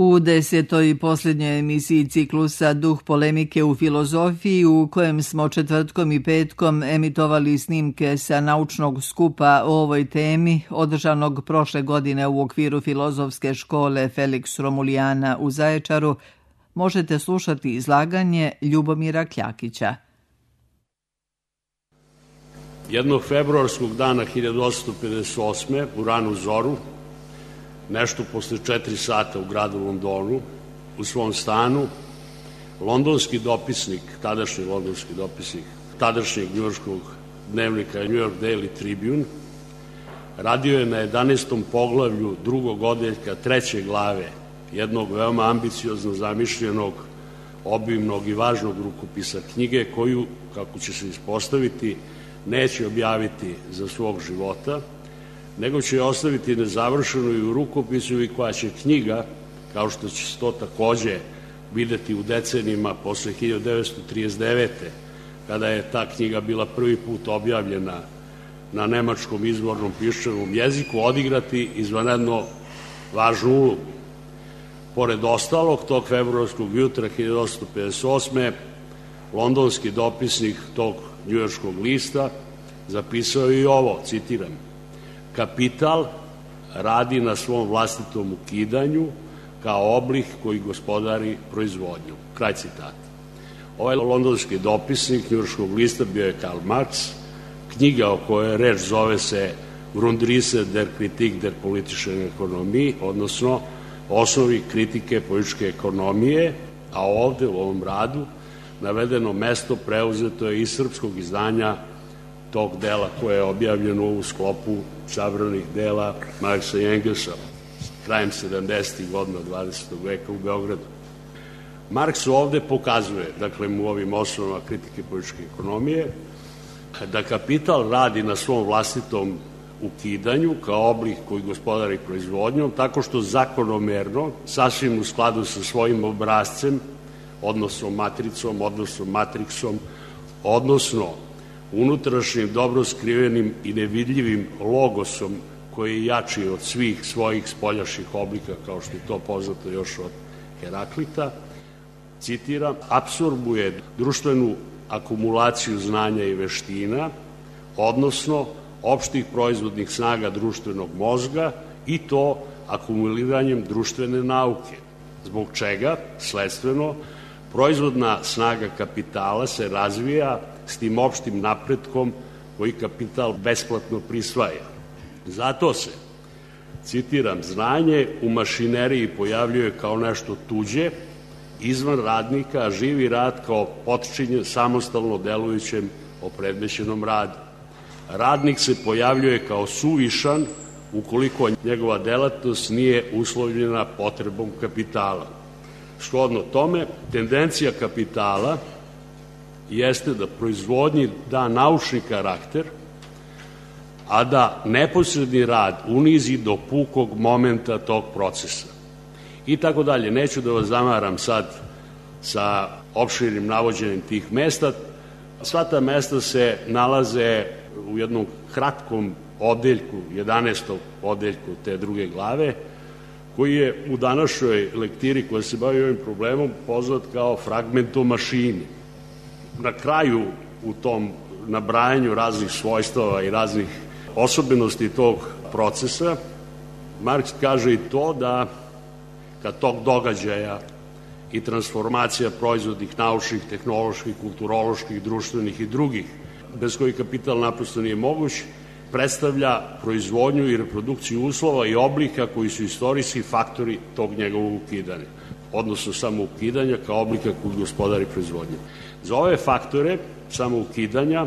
U 10. i posljednjoj emisiji ciklusa Duh polemike u filozofiji, u kojem smo četvrtkom i petkom emitovali snimke sa naučnog skupa o ovoj temi, održanog prošle godine u okviru filozofske škole Felix Romulijana u Zaječaru, možete slušati izlaganje Ljubomira Kljakića. Jednog februarskog dana 1858. u ranu zoru, nešto posle 4 sata u gradu Londonu, u svom stanu, londonski dopisnik, tadašnji londonski dopisnik, tadašnjeg njujorškog dnevnika New York Daily Tribune, radio je na 11. poglavlju drugog odeljka 3. glave jednog veoma ambiciozno zamišljenog, obimnog i važnog rukopisa knjige koju, kako će se ispostaviti, neće objaviti za svog života, nego će je ostaviti nezavršenu i u rukopisu i koja će knjiga, kao što će se to takođe videti u decenijima posle 1939. kada je ta knjiga bila prvi put objavljena na nemačkom izvornom piščanom jeziku, odigrati izvanredno važnu ulogu. Pored ostalog, tog februarskog jutra 1858. londonski dopisnik tog njujorškog lista zapisao i ovo, citiram: "Kapital radi na svom vlastitom ukidanju kao oblik koji gospodari proizvodnju." Kraj citata. Ovaj londonski dopisnik njujorškog lista bio je Karl Marx. Knjiga o kojoj reč zove se Grundrisse der Kritik der politischen Ökonomie, odnosno Osnovi kritike političke ekonomije, a ovde u ovom radu navedeno mesto preuzeto je iz srpskog izdanja tog dela koje je objavljeno u sklopu sabranih dela Marksa i Engelsa krajem 70. godina 20. veka u Beogradu. Marks ovde pokazuje, dakle u ovim osnovama kritike političke ekonomije, da kapital radi na svom vlastitom ukidanju kao oblik koji gospodari proizvodnjom, tako što zakonomerno, sasvim u skladu sa svojim obrazcem, odnosno matricom, odnosno matriksom, odnosno unutrašnjim dobro skrivenim i nevidljivim logosom koji je jači od svih svojih spoljašnjih oblika, kao što je to poznato još od Heraklita, citiram, apsorbuje društvenu akumulaciju znanja i veština, odnosno opštih proizvodnih snaga društvenog mozga, i to akumuliranjem društvene nauke, zbog čega, sledstveno, proizvodna snaga kapitala se razvija s tim opštim napretkom koji kapital besplatno prisvaja. Zato se, citiram, znanje u mašineriji pojavljuje kao nešto tuđe, izvan radnika, a živi rad kao potčinjen samostalno delujućem opredmećenom radu. Radnik se pojavljuje kao suvišan ukoliko njegova delatnost nije uslovljena potrebom kapitala. Shodno tome, tendencija kapitala jeste da proizvodnji da naučni karakter, a da neposredni rad unizi do pukog momenta tog procesa. I tako dalje. Neću da vas zamaram sad sa opširnim navođenjem tih mesta. Sva ta mesta se nalaze u jednom kratkom odeljku, 11. odeljku te druge glave, koji je u današnjoj lektiri koja se bavi ovim problemom poznat kao fragment o mašini. Na kraju u tom nabrajanju raznih svojstava i raznih osobenosti tog procesa, Marks kaže i to da kad tog događaja i transformacija proizvodnih, naučnih, tehnoloških, kulturoloških, društvenih i drugih, bez kojih kapital naprosto nije moguć, predstavlja proizvodnju i reprodukciju uslova i oblika koji su istorijski faktori tog njegovog ukidanja, odnosno samo ukidanja kao oblika koji gospodari proizvodnje. Za ove faktore samo ukidanja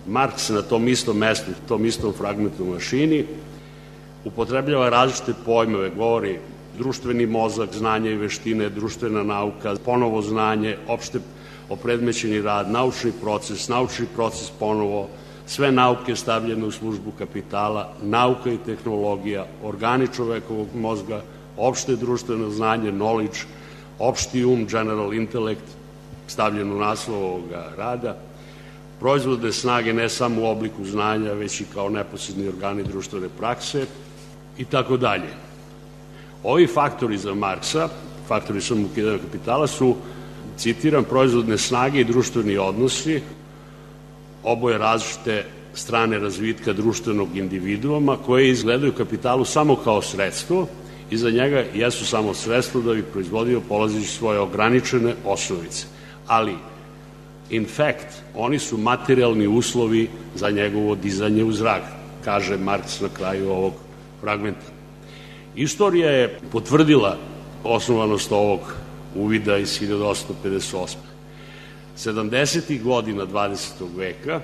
Marks na tom istom mestu, tom istom fragmentu mašini, upotrebljava različite pojmove, govori društveni mozak, znanje i veštine, društvena nauka, ponovo znanje, opšte opredmećeni rad, naučni proces ponovo, sve nauke stavljene u službu kapitala, nauka i tehnologija, organi čovekovog mozga, opšte društveno znanje, knowledge, opšti general intellect, stavljen u naslov ovoga rada, proizvodne snage ne samo u obliku znanja, već i kao neposredni organi društvene prakse i tako dalje. Ovi faktori za Marksa faktori samoukidanja kapitala su, citiram, proizvodne snage i društveni odnosi, oboje različite strane razvitka društvenog individuuma koje izgledaju kapitalu samo kao sredstvo i za njega jesu samo sredstvo da bi proizvodio polazići svoje ograničene osnovice. Ali, in fact, oni su materijalni uslovi za njegovo dizanje u zrak, kaže Marks na kraju ovog fragmenta. Istorija je potvrdila osnovanost ovog uvida iz 1858. 70. godina 20. veka,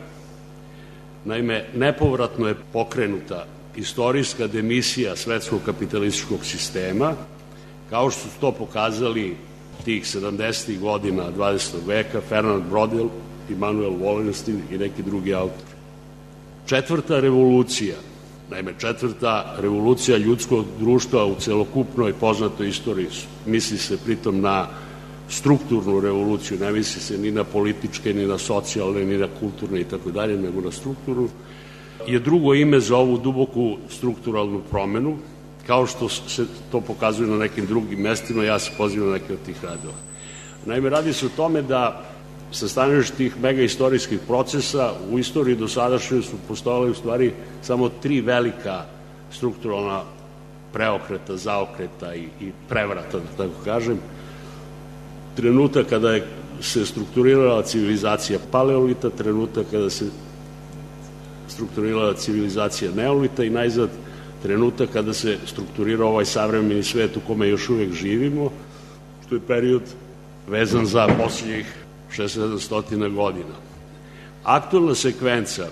naime, nepovratno je pokrenuta istorijska demisija svetskog kapitalističkog sistema, kao što su to pokazali tih 70. godina 20. veka Fernand Braudel, Immanuel Wallerstein i neki drugi autori. Četvrta revolucija, naime, četvrta revolucija ljudskog društva u celokupnoj poznatoj istoriji, misli se pritom na strukturnu revoluciju, ne misli se ni na političke, ni na socijalne, ni na kulturne i tako dalje, nego na strukturnu, je drugo ime za ovu duboku strukturalnu promenu, kao što se to pokazuje na nekim drugim mestima, ja se pozivam na neke od tih radova. Naime, radi se o tome da sa stanovišta tih megaistorijskih procesa u istoriji do sadašnje su postojale u stvari samo tri velika strukturalna preokreta, zaokreta i prevrata, da tako kažem. Trenutak kada se strukturirala civilizacija paleolita, trenutak kada se strukturirala civilizacija neolita i najzad trenutak kada se strukturirao ovaj savremeni svet u kome još uvek živimo, što je period vezan za posljednjih 600 godina. Aktualna sekvenca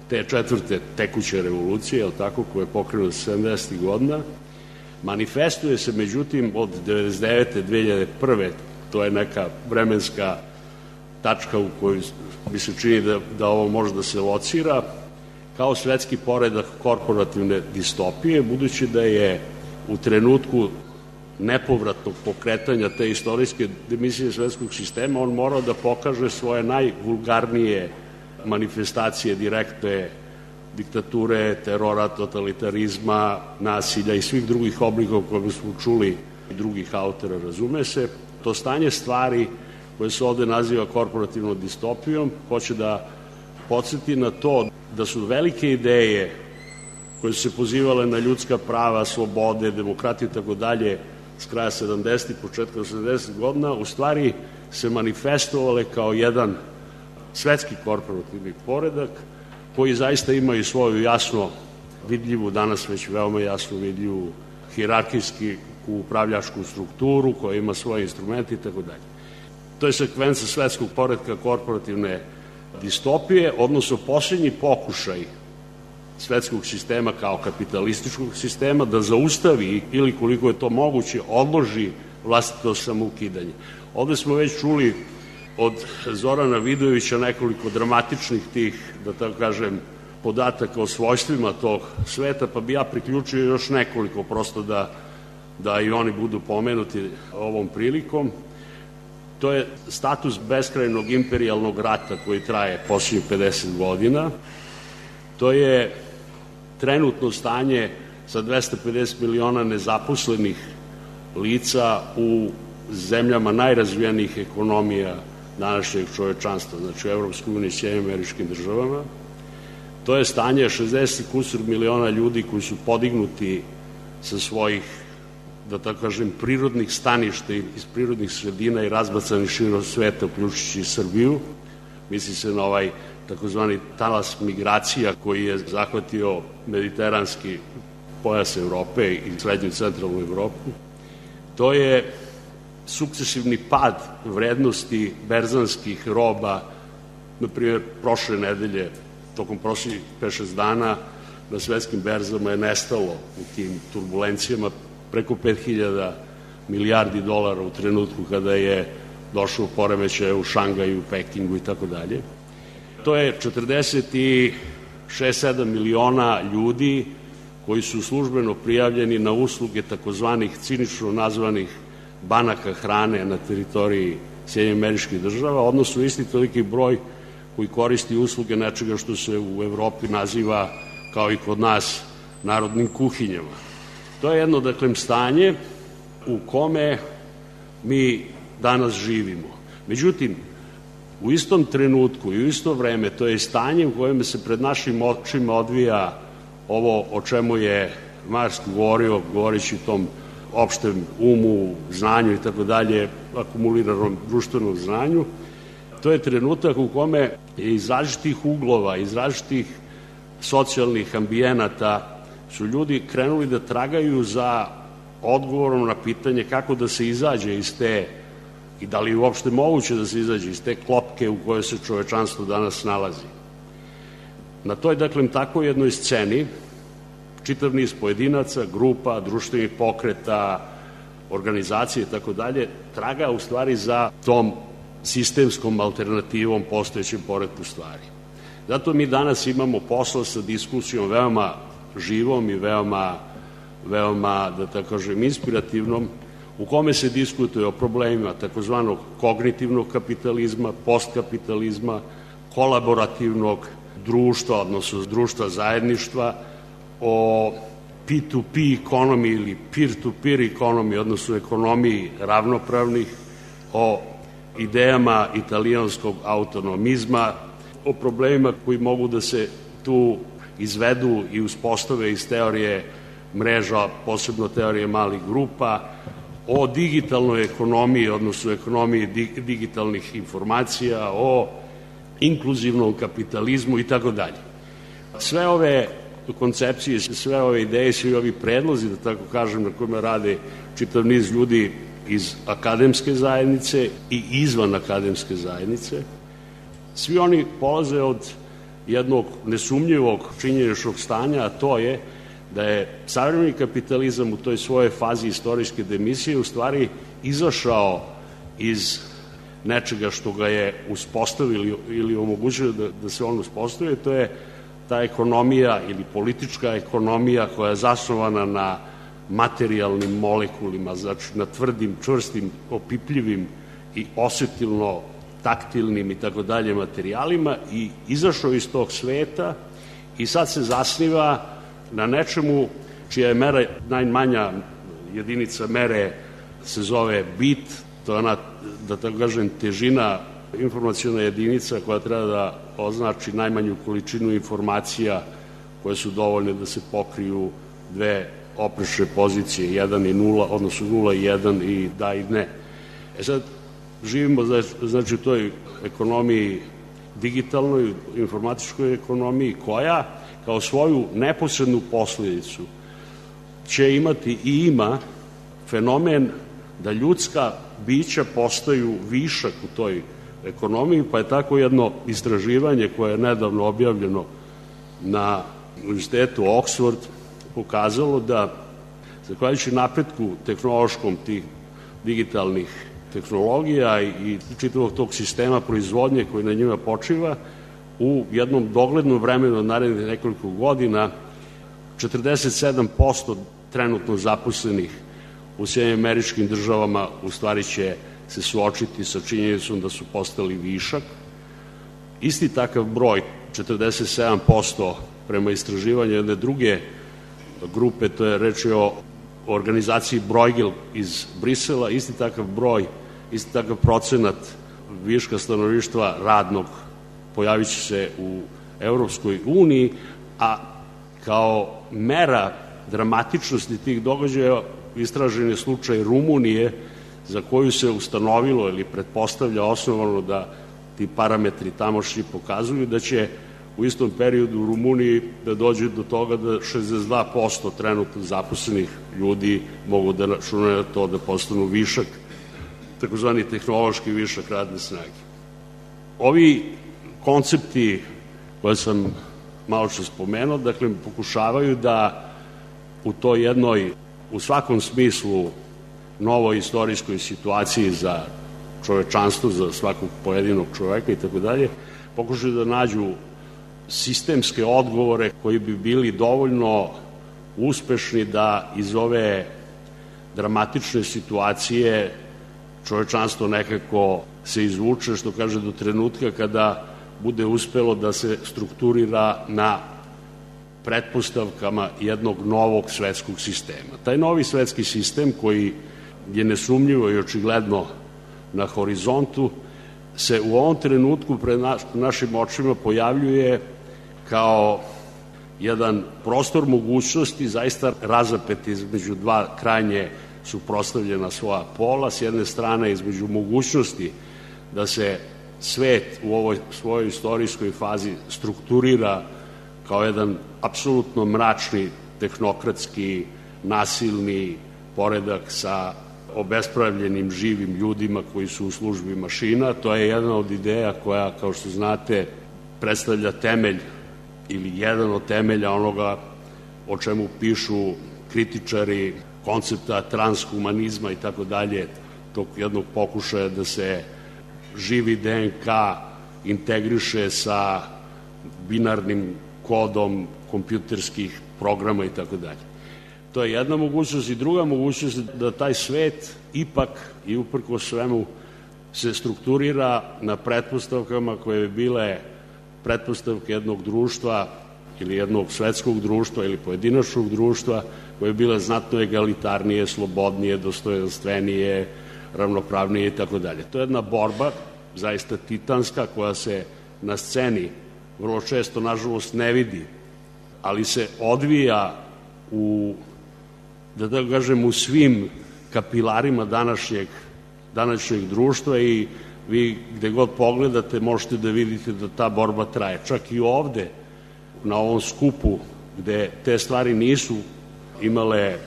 te četvrte tekuće revolucije, je li tako, koja je pokrenuta 70. godina, manifestuje se, međutim, od 99. 2001. To je neka vremenska tačka u kojoj mi se čini da ovo može da se locira, kao svetski poredak korporativne distopije, budući da je u trenutku nepovratnog pokretanja te istorijske demisije svetskog sistema on morao da pokaže svoje najvulgarnije manifestacije direktne diktature, terora, totalitarizma, nasilja i svih drugih oblika o kojima smo čuli i drugih autora, razume se. To stanje stvari koje se ovde naziva korporativnom distopijom hoće da podsjeti na to da su velike ideje koje su se pozivale na ljudska prava, slobode, demokratiju i tako dalje s kraja 70. i početka 80. godina u stvari se manifestovale kao jedan svetski korporativni poredak koji zaista ima i svoju jasno vidljivu, danas već veoma jasno vidljivu hijerarhijski upravljačku strukturu koja ima svoje instrumente i tako dalje. To je sekvenca svetskog poredka korporativne distopije, odnosno posljednji pokušaj svetskog sistema kao kapitalističkog sistema da zaustavi ili koliko je to moguće odloži vlastito samoukidanje. Ovde smo već čuli od Zorana Vidojevića nekoliko dramatičnih tih, da tako kažem, podataka o svojstvima tog sveta, pa bi ja priključio još nekoliko prosto da i oni budu pomenuti ovom prilikom. To je status beskrajnog imperijalnog rata koji traje posljednjih 50 godina. To je trenutno stanje sa 250 miliona nezaposlenih lica u zemljama najrazvijenijih ekonomija današnjeg čovečanstva, znači u Evropskoj uniji i Sjedinjenim Američkim Državama. To je stanje 60 kusur miliona ljudi koji su podignuti sa svojih, da tako kažem, prirodnih staništa iz prirodnih sredina i razbacani širom sveta, uključujući i Srbiju. Misli se na ovaj takozvani talas migracija koji je zahvatio mediteranski pojas Evrope i srednju i centralnu Evropu. To je sukcesivni pad vrednosti berzanskih roba, na primjer, prošle nedelje, tokom prošlih 5-6 dana, na svetskim berzama je nestalo u tim turbulencijama preko 5000 milijardi dolara u trenutku kada je došlo poremećaja u Šangaju, Pekingu i tako dalje. To je 46-7 miliona ljudi koji su službeno prijavljeni na usluge takozvanih cinično nazvanih banaka hrane na teritoriji Sjedinjenih Američkih Država, odnosno isti toliki broj koji koristi usluge nečega što se u Evropi naziva, kao i kod nas, narodnim kuhinjama. To je jedno, dakle, stanje u kome mi danas živimo. Međutim, u istom trenutku i u isto vreme to je stanje u kojem se pred našim očima odvija ovo o čemu je Marks govorio, govorići o tom opštem umu, znanju i tako dalje, akumuliranom društvenom znanju. To je trenutak u kome je iz različitih uglova, iz različitih socijalnih ambijenata su ljudi krenuli da tragaju za odgovorom na pitanje kako da se izađe iz te, i da li je uopšte moguće da se izađe iz te klopke u kojoj se čovečanstvo danas nalazi. Na toj, dakle, tako jednoj sceni čitav niz pojedinaca, grupa, društvenih pokreta, organizacije i tako dalje, traga u stvari za tom sistemskom alternativom postojećem poretku stvari. Zato mi danas imamo posla sa diskusijom veoma živom i veoma, da tako kažem, inspirativnom, u kome se diskutuje o problemima takozvanog kognitivnog kapitalizma, postkapitalizma, kolaborativnog društva, odnosno društva zajedništva, o P2P ekonomiji ili peer-to-peer ekonomiji, odnosno ekonomiji ravnopravnih, o idejama italijanskog autonomizma, o problemima koji mogu da se tu izvedu i uspostave iz teorije mreža, posebno teorije malih grupa, o digitalnoj ekonomiji, odnosno ekonomiji digitalnih informacija, o inkluzivnom kapitalizmu i tako dalje. Sve ove koncepcije, sve ove ideje, svi ovi predlozi, da tako kažem, na kojima rade čitav niz ljudi iz akademske zajednice i izvan akademske zajednice, svi oni polaze od jednog nesumnjivog činjeničnog stanja, a to je da je savremeni kapitalizam u toj svojoj fazi istorijske demisije u stvari izašao iz nečega što ga je uspostavili ili omogućilo da se on uspostavi, to je ta ekonomija ili politička ekonomija koja je zasnovana na materijalnim molekulima, znači na tvrdim, čvrstim, opipljivim i osetilno taktilnim i tako dalje materijalima, i izašao iz tog sveta i sad se zasniva na nečemu čija je mera, najmanja jedinica mere se zove bit, to je ona, da tako kažem, težina, informacijona jedinica koja treba da označi najmanju količinu informacija koje su dovoljne da se pokriju dve oprečne pozicije, 1 i 0, odnosno 0 i 1 i da i ne. Sad živimo, znači, u toj ekonomiji digitalnoj, informatičkoj ekonomiji, koja kao svoju neposrednu posledicu će imati i ima fenomen da ljudska bića postaju višak u toj ekonomiji, pa je tako jedno istraživanje koje je nedavno objavljeno na Univerzitetu Oxford pokazalo da, zahvaljujući napretku tehnološkom tih digitalnih tehnologija i čitavog tog sistema proizvodnje koji na njima počiva, u jednom doglednom vremenu od narednih nekoliko godina 47% trenutno zaposlenih u Sjedinjenim Američkim Državama u stvari će se suočiti sa činjenicom da su postali višak. Isti takav broj, 47% prema istraživanju jedne druge grupe, to je reč o organizaciji Bruegel iz Brisela, isti takav broj, isti takav procenat viška stanovništva radnog pojavit će se u Evropskoj uniji, a kao mera dramatičnosti tih događaja istražen je slučaj Rumunije, za koju se ustanovilo ili pretpostavlja osnovano da ti parametri tamošnji pokazuju da će u istom periodu u Rumuniji da dođe do toga da 62% trenutno zaposlenih ljudi mogu da računaju na to da postanu višak, takozvani tehnološki višak radne snage. Ovi koncepti koje sam malo što spomenuo, dakle, pokušavaju da u toj jednoj, u svakom smislu, novoj istorijskoj situaciji za čovečanstvo, za svakog pojedinog čoveka i tako dalje, pokušaju da nađu sistemske odgovore koji bi bili dovoljno uspešni da iz ove dramatične situacije čovečanstvo nekako se izvuče, što kaže, do trenutka kada bude uspelo da se strukturira na pretpostavkama jednog novog svetskog sistema. Taj novi svetski sistem koji je nesumnjivo i očigledno na horizontu, se u ovom trenutku pred našim očima pojavljuje kao jedan prostor mogućnosti, zaista razapet između dva krajnje suprotstavljena svoja pola, s jedne strane između mogućnosti da se svet u ovoj svojoj istorijskoj fazi strukturira kao jedan apsolutno mračni, tehnokratski, nasilni poredak sa obespravljenim živim ljudima koji su u službi mašina. To je jedna od ideja koja, kao što znate, predstavlja temelj ili jedan od temelja onoga o čemu pišu kritičari koncepta transhumanizma i tako dalje, tog jednog pokušaja da se živi DNK integriše sa binarnim kodom kompjuterskih programa i tako dalje. To je jedna mogućnost i druga mogućnost da taj svet ipak i uprko svemu se strukturira na pretpostavkama koje bi bile pretpostavke jednog društva ili jednog svetskog društva ili pojedinačnog društva koje bi bile znatno egalitarnije, slobodnije, dostojanstvenije, ravnopravnije i tako dalje. To je jedna borba, zaista titanska, koja se na sceni vrlo često, nažalost, ne vidi, ali se odvija u, da tako kažem, u svim kapilarima današnjeg društva i vi gde god pogledate možete da vidite da ta borba traje. Čak i ovde, na ovom skupu, gde te stvari nisu imale,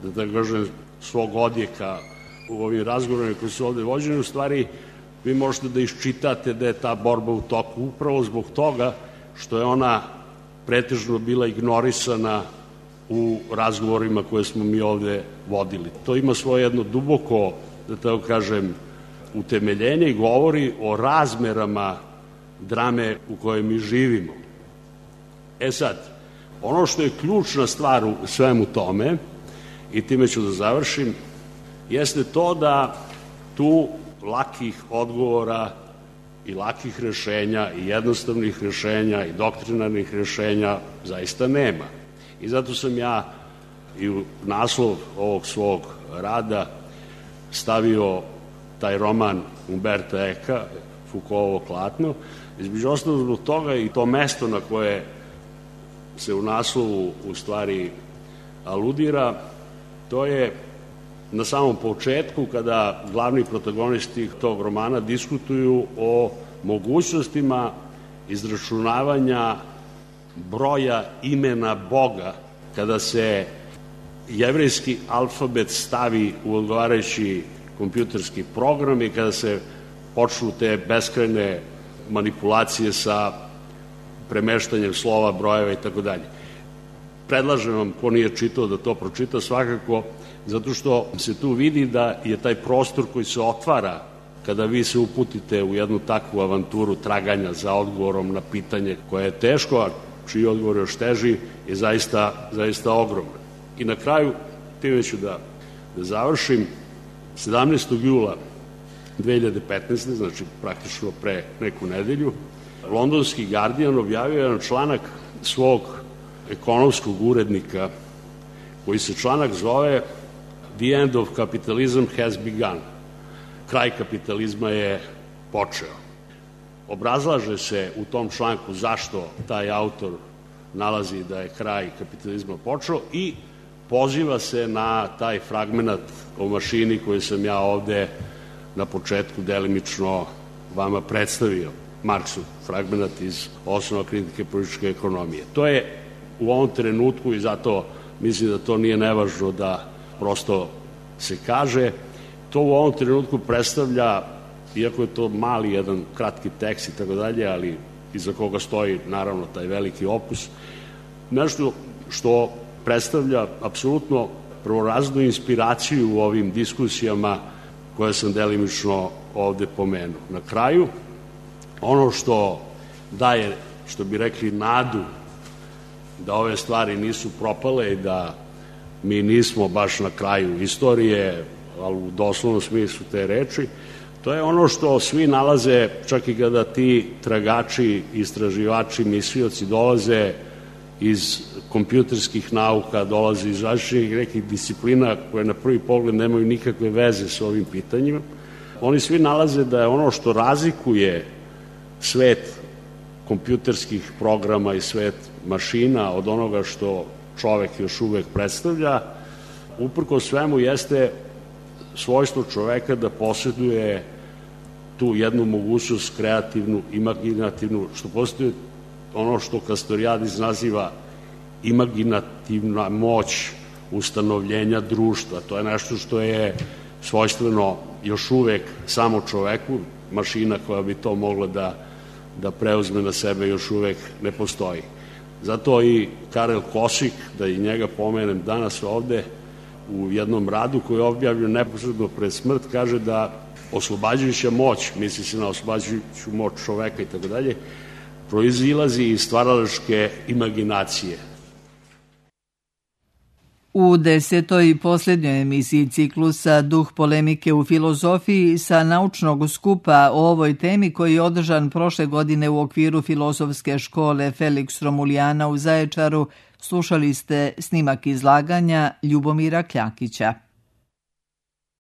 da tako kažem, svog odjeka u ovim razgovorima koji su ovde vođeni, u stvari vi možete da iščitate da je ta borba u toku upravo zbog toga što je ona pretežno bila ignorisana u razgovorima koje smo mi ovde vodili. To ima svoje jedno duboko, da tako kažem, utemeljenje i govori o razmerama drame u kojoj mi živimo. Sad, ono što je ključna stvar u svemu tome, i time ću da završim, jeste to da tu lakih odgovora i lakih rešenja i jednostavnih rešenja i doktrinarnih rešenja zaista nema. I zato sam ja i u naslov ovog svog rada stavio taj roman Umberta Eka, Foucaultovo Klatno, između ostalog zbog toga i to mesto na koje se u naslovu u stvari aludira, to je na samom početku kada glavni protagonisti tog romana diskutuju o mogućnostima izračunavanja broja imena Boga kada se jevrejski alfabet stavi u odgovarajući kompjuterski program i kada se počnu te beskrajne manipulacije sa premeštanjem slova, brojeva i tako dalje. Predlažem vam, ko nije čitao, da to pročita svakako, zato što se tu vidi da je taj prostor koji se otvara kada vi se uputite u jednu takvu avanturu traganja za odgovorom na pitanje koje je teško, a čiji odgovor još teži, je zaista ogroman. I na kraju, time ću da završim, 17. jula 2015. znači praktično pre neku nedelju, londonski Guardian objavio jedan članak svog ekonomskog urednika, koji se članak zove The end of capitalism has begun. Kraj kapitalizma je počeo. Obrazlaže se u tom članku zašto taj autor nalazi da je kraj kapitalizma počeo i poziva se na taj fragmenat o mašini koji sam ja ovde na početku delimično vama predstavio, Marksov fragmenat iz Osnova kritike političke ekonomije. To je u ovom trenutku, i zato mislim da to nije nevažno da prosto se kaže, to u ovom trenutku predstavlja, iako je to mali jedan kratki tekst i tako dalje, ali iza koga stoji naravno taj veliki opus, nešto što predstavlja apsolutno prvorazrednu inspiraciju u ovim diskusijama koje sam delimično ovde pomenuo. Na kraju, ono što daje, što bi rekli, nadu da ove stvari nisu propale i da mi nismo baš na kraju istorije, ali u doslovnom smislu te reči, to je ono što svi nalaze, čak i kada ti tragači, istraživači, mislioci dolaze iz kompjuterskih nauka, dolaze iz različitih nekih disciplina koje na prvi pogled nemaju nikakve veze s ovim pitanjima. Oni svi nalaze da je ono što razlikuje svet kompjuterskih programa i svet mašina od onoga što čovek još uvek predstavlja, uprko svemu jeste svojstvo čoveka da posjeduje tu jednu mogućnost kreativnu, imaginativnu, što postoje ono što Kastorijadis naziva imaginativna moć ustanovljenja društva. To je nešto što je svojstveno još uvek samo čoveku, mašina koja bi to mogla da preuzme na sebe još uvek ne postoji. Zato i Karel Kosik, da i njega pomenem danas ovde, u jednom radu koji je objavljen neposredno pred smrt, kaže da oslobađajuća moć, misli se na oslobađajuću moć čoveka i tako dalje, proizilazi iz stvaralačke imaginacije. U 10. i posljednjoj emisiji ciklusa Duh polemike u filozofiji sa naučnog skupa o ovoj temi koji je održan prošle godine u okviru filozofske škole Felix Romulijana u Zaječaru, slušali ste snimak izlaganja Ljubomira Kljakića.